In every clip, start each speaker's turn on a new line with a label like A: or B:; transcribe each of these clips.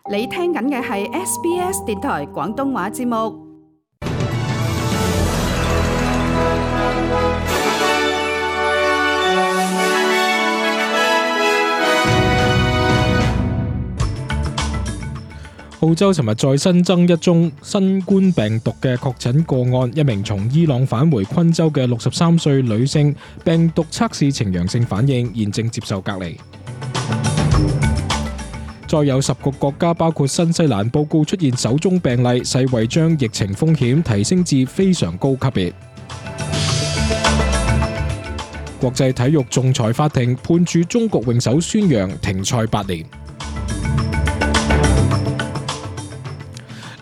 A: 你聽緊嘅係 SBS 電台廣東話節目。
B: 澳洲尋日再新增一宗新冠病毒嘅確診個案，一名從伊朗返回昆州嘅63歲女性，病毒測試呈陽性反應，現正接受隔離。再有10個國家，包括新西蘭，報告出現首宗病例，世衛將疫情風險提升至非常高級別。國際體育仲裁法庭判處中國泳手孫楊停賽8年。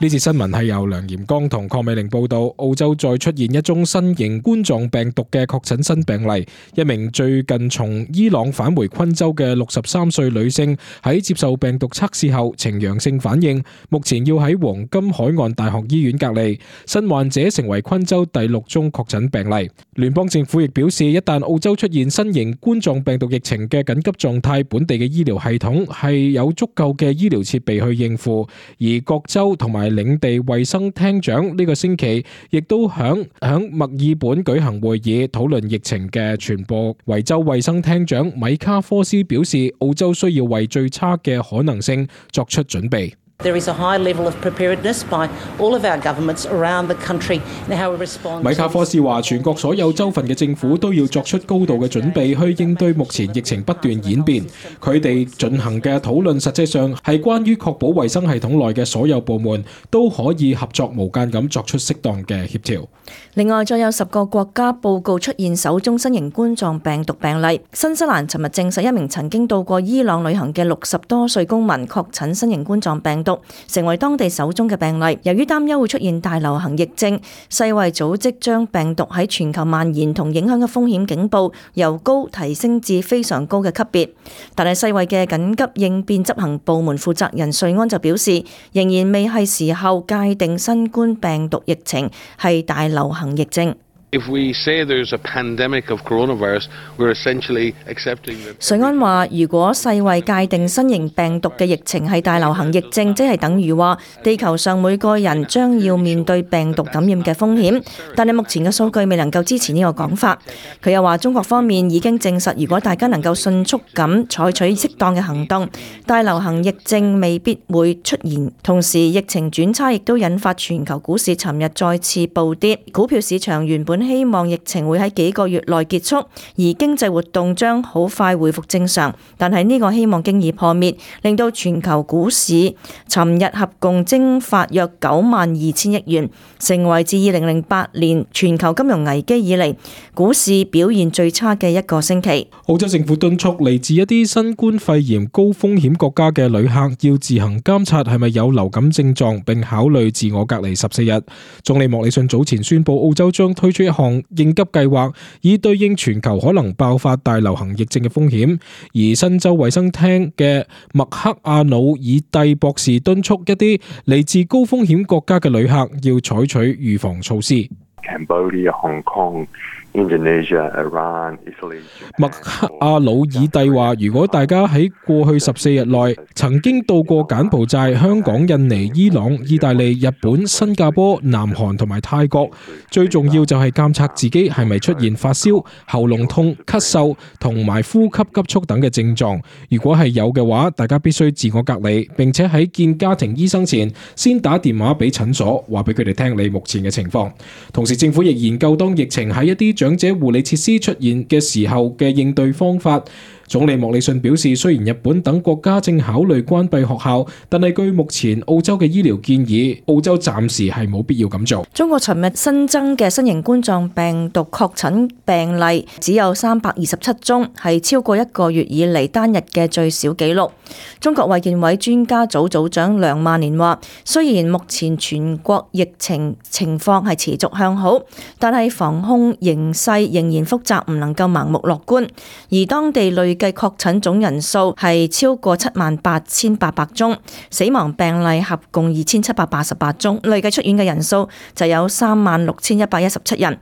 B: 呢節新聞係由梁炎光同鄺美玲報道。澳洲再出現一宗新型冠狀病毒嘅確診新病例，一名最近從伊朗返回昆州嘅63歲女性喺接受病毒測試後呈陽性反應，目前要喺黃金海岸大學醫院隔離。新患者成為昆州第6宗確診病例。聯邦政府亦表示，一旦澳洲出現新型冠狀病毒疫情嘅緊急狀態，本地嘅醫療系統係有足夠嘅醫療設備去應付。而各州同埋領地衛生廳長呢個星期亦都響墨爾本舉行會議，討論疫情嘅傳播。維州衛生廳長米卡科斯表示，澳洲需要為最差嘅可能性作出準備。
C: There is a high level of preparedness by all of our governments around the country in how we respond.
B: 米卡科斯話，全國所有州份嘅政府都要作出高度嘅準備，去應對目前疫情不斷演變。佢哋進行嘅討論實際上係關於確保衛生系統內嘅所有部門都可以合作無間咁作出適當嘅協調。
D: 另外，再有10個國家報告出現首宗新型冠狀病毒病例。新西蘭尋日證實一名曾經到過伊朗旅行嘅60多歲公民確診新型冠狀病毒，成為當地首宗嘅病例。由於擔憂會出現大流行疫症，世衛組織將病毒喺全球蔓延同影響嘅風險警報由高提升至非常高嘅級別。但係世衛嘅緊急應變執行部門負責人瑞安就表示，仍然未係時候界定新冠病毒疫情係大流行疫症。
E: If we say there's a pandemic of coronavirus, we're essentially accepting that.
D: 瑞安話，如果世衛界定新型病毒嘅疫情係大流行疫症，即係等於話地球上每個人將要面對病毒感染嘅風險。但係目前嘅數據未能夠支持呢個講法。佢又話，中國方面已經證實，如果大家能夠迅速咁採取適當嘅行動，大流行疫症未必會出現。同時，疫情轉差亦都引發全球股市尋日再次暴跌，股票市場原本希望疫情會喺幾個月內結束，而經濟活動將好快恢復正常。但係呢個希望經已破滅，令到全球股市尋日合共蒸發約92,000億元，成為自2008年全球金融危機以嚟股市表現最差嘅一個星期。
B: 澳洲政府敦促嚟自一啲新冠肺炎高風險國家嘅旅客要自行監察係咪有流感症狀，並考慮自我隔離14日。總理莫里遜早前宣布，澳洲將推出一項應急計劃，以對應全球可能爆發大流行疫症嘅風險。而新州衛生廳嘅麥克阿努爾蒂博士敦促一啲嚟自高風險國家嘅旅客要採取預防措施。
F: Cambodia, Hong Kong, Indonesia, Iran, Italy.
B: 麥克阿努爾蒂話，如果大家喺過去14日內曾經到過柬埔寨、香港、印尼、伊朗、意大利、日本、新加坡、南韓同埋泰國，最重要就係監測自己係咪出現發燒、喉嚨痛、咳嗽同埋呼吸急促等嘅症狀。如果係有嘅話，大家必須自我隔離，並且喺見家庭醫生前先打電話俾診所，話俾佢哋聽你目前嘅情況。同時，政府亦研究當疫情喺一啲長者護理設施出現嘅時候嘅應對方法。總理莫里遜表示，雖然日本等國家正考慮關閉學校，但係據目前澳洲嘅醫療建議，澳洲暫時係冇必要咁做。
D: 中國尋日新增嘅新型冠狀病毒確診病例只有327宗，係超過1個月以嚟單日嘅最少紀錄。中國衛健委專家組組長梁萬年話，雖然目前全國疫情況係持續向好，但係防控形勢仍然複雜，唔能夠盲目樂觀。而當地累計確診總人數係超過78,800宗，死亡病例合共2,788宗，累計出院嘅人數就有36,117人。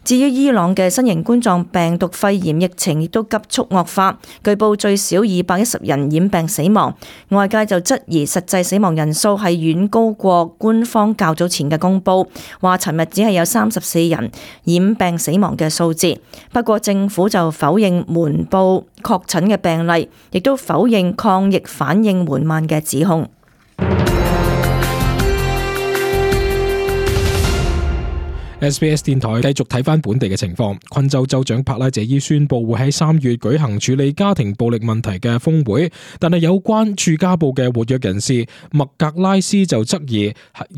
D: 至於伊朗嘅新型冠狀病毒肺炎疫情亦都急速惡化，據報最少210人染病死亡，外界就質疑實際死亡人數係遠高過官方較早前嘅公佈，話尋日只係有34人染病死亡嘅數字。不過政府就否認瞞報確診嘅病例，亦都否認抗疫反應緩慢嘅指控。
B: SBS 電台繼續睇返本地嘅情況。昆州州長帕拉謝伊宣布會喺3月舉行處理家庭暴力問題嘅峰會，但係有關駐家部嘅活躍人士麥格拉斯就質疑，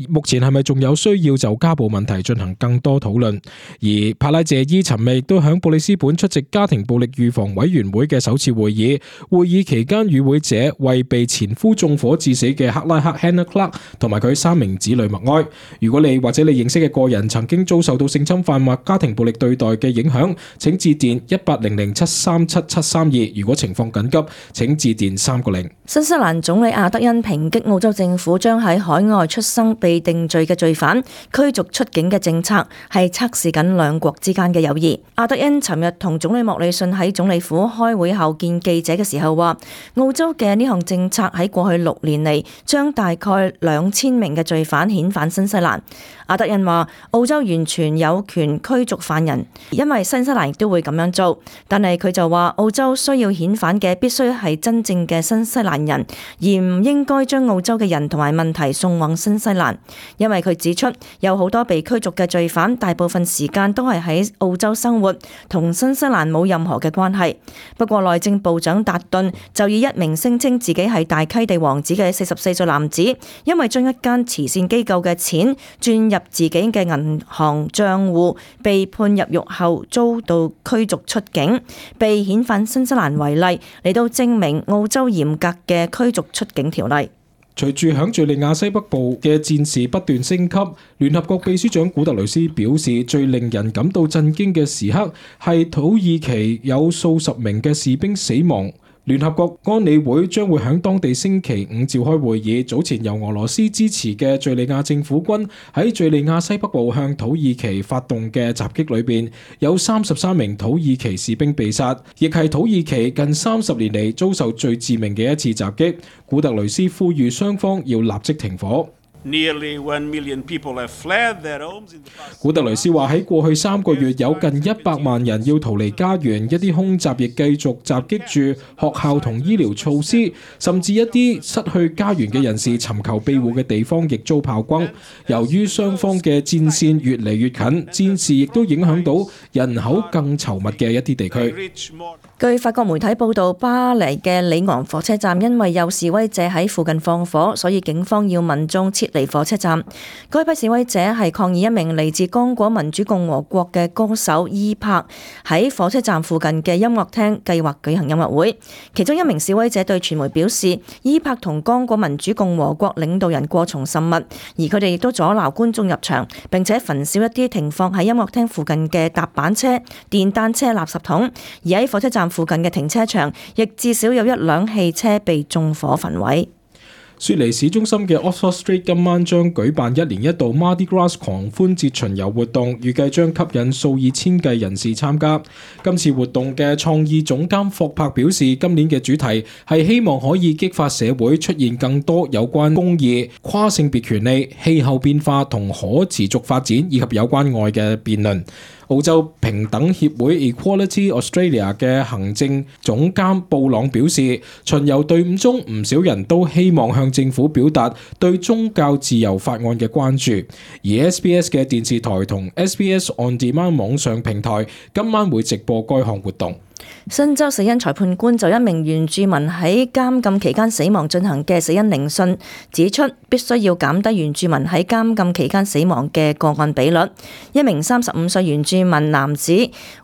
B: 目前係咪仲有需要就家暴問題進行更多討論？而帕拉謝伊尋日亦都響布里斯本出席家庭暴力預防委員會嘅首次會議，會議期間與會者為被前夫縱火致死嘅克拉克 Hannah Clark 同埋佢3名子女默哀。如果你或者你認識嘅個人曾經遭受到性侵犯或家庭暴力對待嘅影響，請致電1800737732。如果情況緊急，請致電3個0。
D: 新西蘭總理阿德恩抨擊澳洲政府將喺海外出生被定罪嘅罪犯驅逐出境嘅政策係測試緊兩國之間嘅友誼。阿德恩尋日同總理莫里遜喺總理府開會後見記者嘅時候話，澳洲嘅呢項政策喺過去6年嚟將大概2000名嘅罪犯遣返新西蘭。阿德恩話，澳洲完全有權驅逐犯人，因為新西蘭亦都會咁樣做。但係佢就話，澳洲需要遣返嘅必須係真正嘅新西蘭人，而唔應該將澳洲嘅人同埋問題送往新西蘭。因為佢指出，有好多被驅逐嘅罪犯，大部分時間都係喺澳洲生活，同新西蘭冇任何嘅關係。不過內政部長達頓就以一名聲稱自己係大溪地王子嘅44歲男子，因為將一間慈善機構嘅錢轉入自己嘅銀行賬戶，被判入獄後遭到驅逐出境，被遣返新西蘭為例，嚟到證明澳洲嚴格嘅驅逐出境條例。
B: 隨住響敘利亞西北部嘅戰事不斷升級，聯合國秘書長古特雷斯表示，最令人感到震驚嘅時刻係土耳其有數十名嘅士兵死亡。聯合國安理會將會喺當地星期5召開會議。早前由俄羅斯支持嘅敘利亞政府軍喺敘利亞西北部向土耳其發動嘅襲擊裏邊，有33名土耳其士兵被殺，亦係土耳其近30年嚟遭受最致命嘅一次襲擊。古特雷斯呼籲雙方要立即停火。古特雷斯話喺過去3個月有近100萬人要逃離家園，一啲空襲亦繼續襲擊住學校同醫療措施，甚至一啲失去家園嘅人士尋求庇護嘅地方亦遭炮轟。由於雙方嘅戰線越嚟越近，戰事亦都影響到人口更稠密嘅一啲地區。
D: 據法國媒體報道，巴黎嘅里昂火車站因為有示威者喺附近放火，所以警方要民眾撤離火車站。該批示威者係抗議一名嚟自剛果民主共和國嘅歌手伊柏喺火車站附近嘅音樂廳計劃舉行音樂會。其中一名示威者對傳媒表示，伊柏同剛果民主共和國領導人過從甚密，而佢哋亦都阻撓觀眾入場，並且焚燒一啲停放喺音樂廳附近嘅踏板車、電單車、垃圾桶。而喺火車站附近嘅停車場，亦至少有1輛汽車被縱火焚毀。
B: 雪梨市中心嘅 Oxford Street 今晚將舉辦1年1度 Mardi Gras 狂歡節巡遊活動，預計將吸引數以千計人士參加。今次活動嘅創意總監霍柏表示，今年嘅主題係希望可以激發社會出現更多有關公義、跨性別權利、氣候變化同可持續發展以及有關愛嘅辯論。澳洲平等協會 Equality Australia 嘅行政總監布朗表示，巡遊隊伍中唔少人都希望向政府表達對宗教自由法案嘅關注，而 SBS 嘅電視台同 SBS On Demand 網上平台今晚會直播該項活動。
D: 新州死因裁判官就一名原住民喺監禁期間死亡進行嘅死因聆訊，指出必須要減低原住民喺監禁期間死亡嘅個案比率。一名35歲原住民男子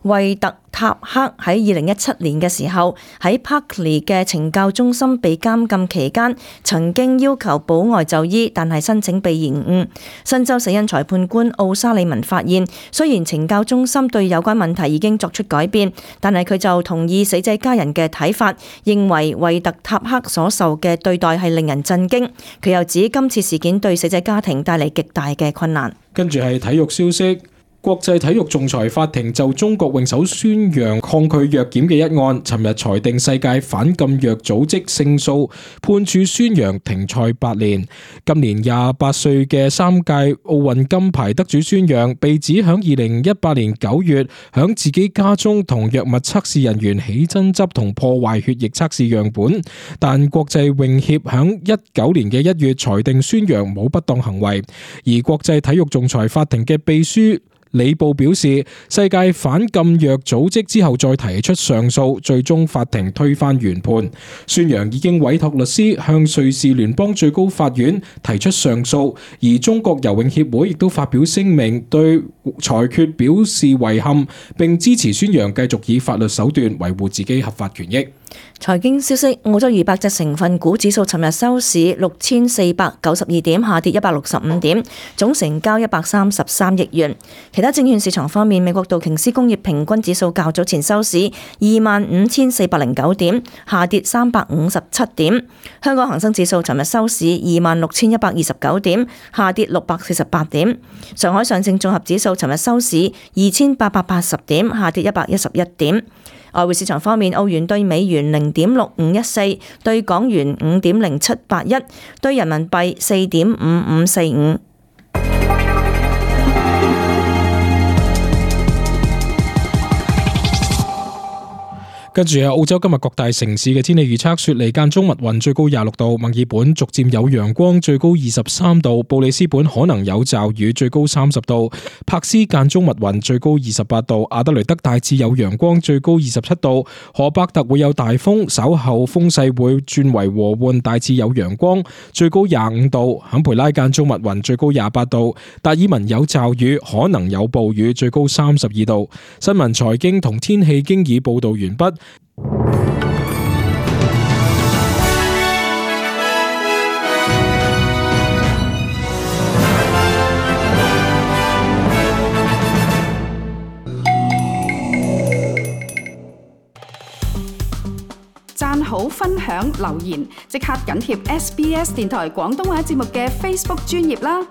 D: 惠特塔克喺2017年嘅時候喺 Parkley 嘅懲教中心被監禁期間，曾經要求保外就醫，但係申請被延誤。新州死因裁判官奧沙利文發現，雖然懲教中心對有關問題已經作出改變，但係佢就同意死者家人嘅睇法，認為惠特塔克所受嘅對待係令人震驚。佢又指今次事件對死者家庭帶嚟極大嘅困難。
B: 跟住係體育消息。國際體育仲裁法庭就中國泳手孫楊抗拒藥檢嘅一案，尋日裁定世界反禁藥組織勝訴，判處孫楊停賽8年。今年28歲嘅3屆奧運金牌得主孫楊，被指響2018年9月響自己家中同藥物測試人員起爭執同破壞血液測試樣本，但國際泳協響19年嘅1月裁定孫楊冇不當行為，而國際體育仲裁法庭嘅秘書李布表示，世界反禁藥組織之後再提出上訴，最終法庭推翻原判。孫楊已經委託律師向瑞士聯邦最高法院提出上訴，而中國游泳協會亦都發表聲明對裁決表示遺憾，並支持孫楊繼續以法律手段維護自己合法權益。
D: 財經消息，澳洲200隻成分股指數尋日收市6492點，下跌165點，總成交133億元。其他證券市場方面，美國道瓊斯工業平均指數較早前收市25409點，下跌357點。香港恒生指數尋日收市26129點，下跌648點。上海上證綜合指數尋日收市2880點，下跌111點。外匯市場方面，澳元對美元0.6514，對港元5.0781，對人民幣4.5545。
B: 跟住係澳洲今日各大城市嘅天氣預測：雪梨間中密雲，最高26度；墨爾本逐漸有陽光，最高23度；布里斯本可能有驟雨，最高30度；柏斯間中密雲，最高28度；阿德雷德大致有陽光，最高27度；荷伯特會有大風，稍後風勢會轉為和緩，大致有陽光，最高25度；坎培拉間中密雲，最高28度；達爾文有驟雨，可能有暴雨，最高32度。新聞財經同天氣經已報道完畢。
A: 讚好、分享、留言，即刻緊貼SBS 電台廣東話節目嘅 Facebook 專頁啦！